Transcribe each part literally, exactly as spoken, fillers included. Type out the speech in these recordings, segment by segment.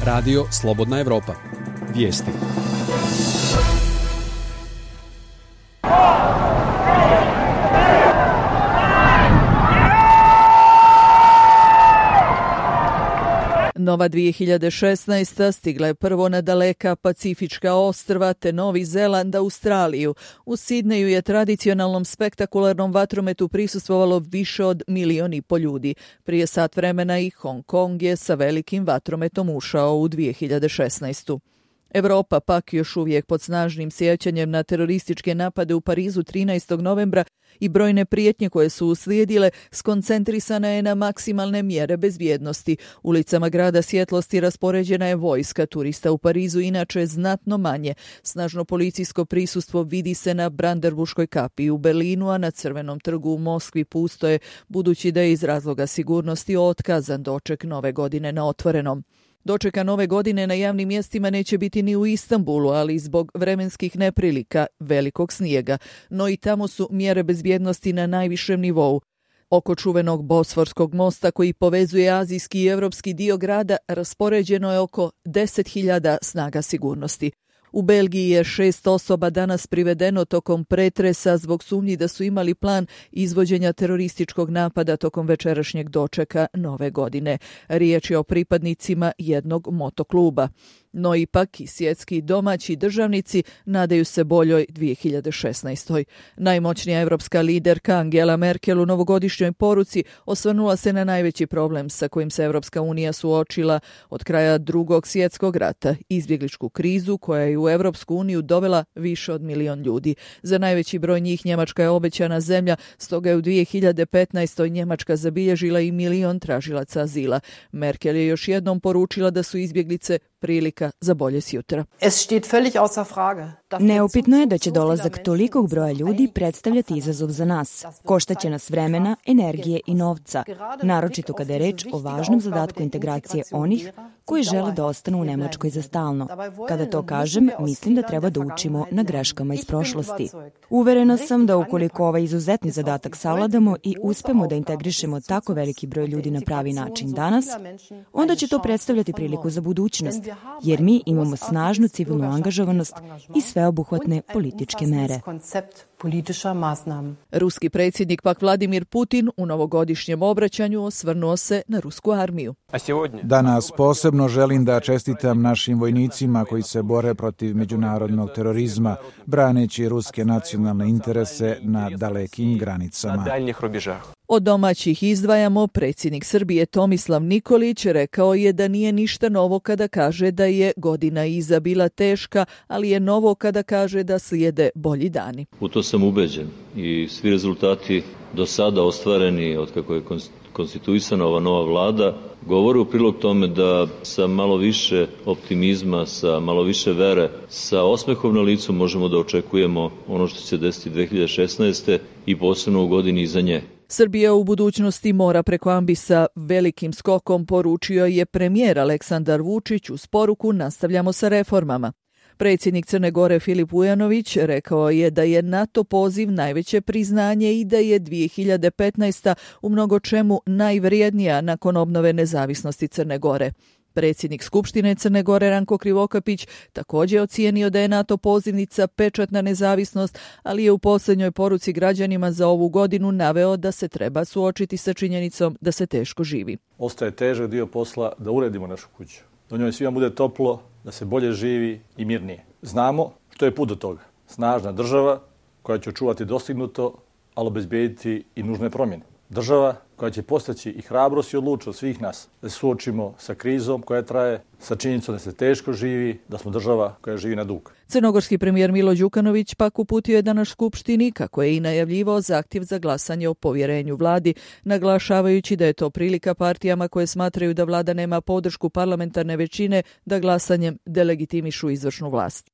Radio Slobodna Evropa. Vijesti. Nova dvije hiljade šesnaesta stigla je prvo na daleka Pacifička ostrva te Novi Zeland, Australiju. U Sidneju je tradicionalnom spektakularnom vatrometu prisustvovalo više od milion i po ljudi. Prije sat vremena i Hong Kong je sa velikim vatrometom ušao u dvije hiljade šesnaestu. Evropa pak još uvijek pod snažnim sjećanjem na terorističke napade u Parizu trinaestog novembra i brojne prijetnje koje su uslijedile skoncentrisana je na maksimalne mjere bezbjednosti. Ulicama grada svjetlosti raspoređena je vojska, turista u Parizu inače znatno manje. Snažno policijsko prisustvo vidi se na Brandenburškoj kapiji u Berlinu, a na Crvenom trgu u Moskvi pusto je, budući da je iz razloga sigurnosti otkazan doček nove godine na otvorenom. Dočeka nove godine na javnim mjestima neće biti ni u Istanbulu, ali zbog vremenskih neprilika, velikog snijega, no i tamo su mjere bezbjednosti na najvišem nivou. Oko čuvenog Bosforskog mosta koji povezuje azijski i europski dio grada raspoređeno je oko deset hiljada snaga sigurnosti. U Belgiji je šest osoba danas privedeno tokom pretresa zbog sumnji da su imali plan izvođenja terorističkog napada tokom večerašnjeg dočeka nove godine. Riječ je o pripadnicima jednog motokluba. No ipak i svjetski domaći državnici nadaju se boljoj dvije hiljade šesnaestoj. Najmoćnija evropska liderka Angela Merkel u novogodišnjoj poruci osvrnula se na najveći problem sa kojim se Evropska unija suočila od kraja drugog svjetskog rata, izbjegličku krizu koja je u Evropsku uniju dovela više od milion ljudi. Za najveći broj njih Njemačka je obećana zemlja, stoga je u dvije hiljade petnaestoj Njemačka zabilježila i milion tražilaca azila. Merkel je još jednom poručila da su izbjeglice prilika za bolje sjutra. Neupitno je da će dolazak tolikog broja ljudi predstavljati izazov za nas. Koštaće nas vremena, energije i novca, naročito kada je reč o važnom zadatku integracije onih koji žele da ostanu u Nemačkoj za stalno. Kada to kažem, mislim da treba da učimo na greškama iz prošlosti. Uverena sam da ukoliko ovaj izuzetni zadatak savladamo i uspemo da integrišemo tako veliki broj ljudi na pravi način danas, onda će to predstavljati priliku za budućnost, jer mi imamo snažnu civilnu angažovanost i sveobuhvatne političke mere. Ruski predsjednik pak Vladimir Putin u novogodišnjem obraćanju osvrnuo se na rusku armiju. Danas posebno želim da čestitam našim vojnicima koji se bore protiv međunarodnog terorizma, braneći ruske nacionalne interese na dalekim granicama. Od domaćih izdvajamo, predsjednik Srbije Tomislav Nikolić rekao je da nije ništa novo kada kaže da je godina iza bila teška, ali je novo kada kaže da slijede bolji dani. U to sam ubeđen i svi rezultati do sada ostvareni od kako je konstituisana ova nova vlada govore u prilog tome da sa malo više optimizma, sa malo više vere, sa osmehom na licu možemo da očekujemo ono što će se desiti dvije hiljade šesnaeste i posebno u godini iza nje. Srbija u budućnosti mora preko ambisa velikim skokom, poručio je premijer Aleksandar Vučić uz poruku nastavljamo sa reformama. Predsjednik Crne Gore Filip Vujanović rekao je da je NATO poziv najveće priznanje i da je dvije hiljade petnaesta u mnogo čemu najvrijednija nakon obnove nezavisnosti Crne Gore. Predsjednik Skupštine Crne Gore Ranko Krivokapić također ocijenio da je NATO pozivnica pečat na nezavisnost, ali je u posljednjoj poruci građanima za ovu godinu naveo da se treba suočiti sa činjenicom da se teško živi. Ostaje težak dio posla da uredimo našu kuću, da u njoj svima bude toplo, da se bolje živi i mirnije. Znamo što je put do toga. Snažna država koja će očuvati dostignuto, ali obezbijediti i nužne promjene. Država koja će postaći i hrabrost i odlučnost svih nas da se suočimo sa krizom koja traje, sa činjenicom da se teško živi, da smo država koja živi na dug. Crnogorski premijer Milo Đukanović pak uputio je danas Skupštini, kako je i najavljivao, zahtjev za glasanje o povjerenju vladi, naglašavajući da je to prilika partijama koje smatraju da vlada nema podršku parlamentarne većine da glasanjem delegitimišu izvršnu vlast.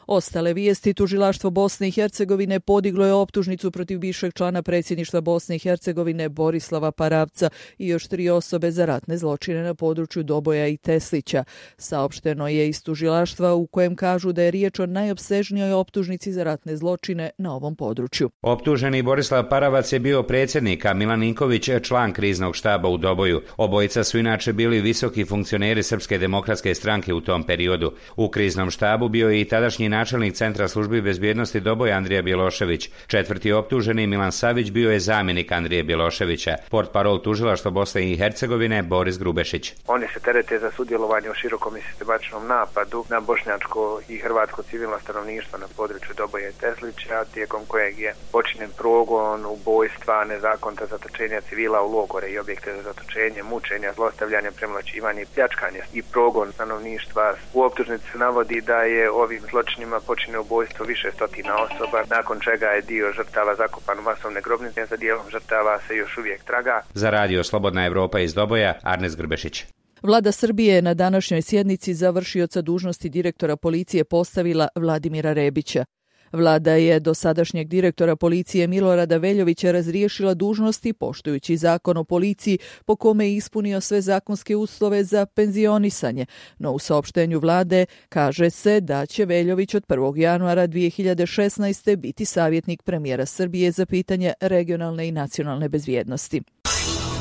Ostale vijesti: tužilaštvo Bosne i Hercegovine podiglo je optužnicu protiv bivšeg člana predsjedništva Bosne i Hercegovine Borislava Paravca i još tri osobe za ratne zločine na području Doboja i Teslića. Saopšteno je iz tužilaštva u kojem kažu da je riječ o najopsežnijoj optužnici za ratne zločine na ovom području. Optuženi Borislav Paravac je bio predsjednik, a Milan Ninković član kriznog štaba u Doboju. Obojica su inače bili visoki funkcioneri Srpske demokratske stranke u tom periodu. U kriznom štabu bio je i tadašnji načelnik Centra službi bezbjednosti Doboja Andrija Bjelošević. Četvrti optuženi Milan Savić bio je zamjenik Andrije Bjeloševića. Portparol tužilaštva Bosne i Hercegovine Boris Grubešić. Oni se terete za sudjelovanje u širokom i sistematičnom napadu na bošnjačko i hrvatsko civilno stanovništvo na području Doboja i Teslića, tijekom kojeg je počinjen progon, ubojstva, nezakonita zatočenja civila u logore i objekte za zatočenje, mučenja, zlostavljanje, premlaćivanje i pljačkanje i progon stanovništva. U optužnici se navodi da je ovim zločinima počinjeno ubojstvo više stotina osoba, nakon čega je dio žrtava zakopan u masovne grobnice, za dijelom žrtava se još uvijek traga. Za radio Slobodna Evropa iz Doboja, Arnes Grbešić. Vlada Srbije je na današnjoj sjednici za vršioca dužnosti direktora policije postavila Vladimira Rebića. Vlada je dosadašnjeg direktora policije Milorada Veljovića razriješila dužnosti poštujući zakon o policiji po kome je ispunio sve zakonske uslove za penzionisanje, no u saopštenju vlade kaže se da će Veljović od prvog januara dvije hiljade šesnaeste. biti savjetnik premijera Srbije za pitanje regionalne i nacionalne bezbjednosti.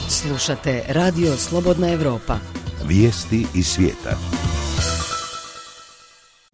Slušate Radio Slobodna Evropa. Vijesti iz svijeta.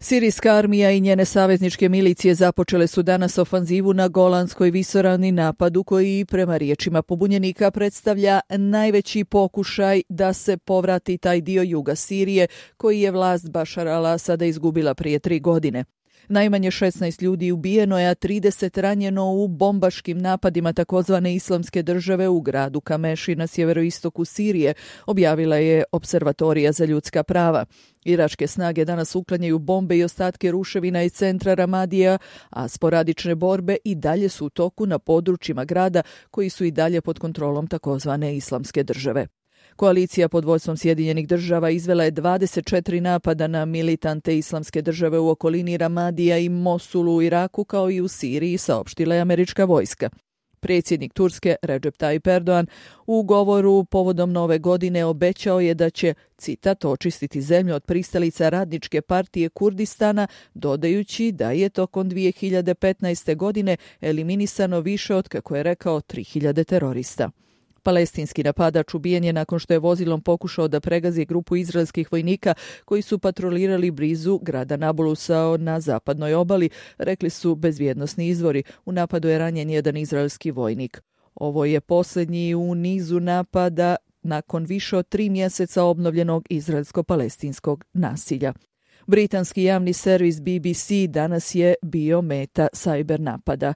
Sirijska armija i njene savezničke milicije započele su danas ofanzivu na Golanskoj visoravni, napadu koji prema riječima pobunjenika predstavlja najveći pokušaj da se povrati taj dio juga Sirije koji je vlast Bašara al-Asada izgubila prije tri godine. Najmanje šesnaest ljudi ubijeno je, a trideset ranjeno u bombaškim napadima takozvane Islamske države u gradu Kameši na sjeveroistoku Sirije, objavila je Observatorija za ljudska prava. Iračke snage danas uklanjaju bombe i ostatke ruševina iz centra Ramadija, a sporadične borbe i dalje su u toku na područjima grada koji su i dalje pod kontrolom takozvane Islamske države. Koalicija pod vodstvom Sjedinjenih država izvela je dvadeset četiri napada na militante Islamske države u okolini Ramadija i Mosulu u Iraku, kao i u Siriji, saopštila je američka vojska. Predsjednik Turske Recep Tayyip Erdogan u govoru povodom nove godine obećao je da će, citat, očistiti zemlju od pristalica Radničke partije Kurdistana, dodajući da je tokom dvije hiljade petnaeste. godine eliminisano više od, kako je rekao, tri hiljade terorista. Palestinski napadač ubijen je nakon što je vozilom pokušao da pregazi grupu izraelskih vojnika koji su patrolirali blizu grada Nabulusa na zapadnoj obali, rekli su bezbjednosni izvori. U napadu je ranjen jedan izraelski vojnik. Ovo je posljednji u nizu napada nakon više od tri mjeseca obnovljenog izraelsko-palestinskog nasilja. Britanski javni servis B B C danas je bio meta sajber napada.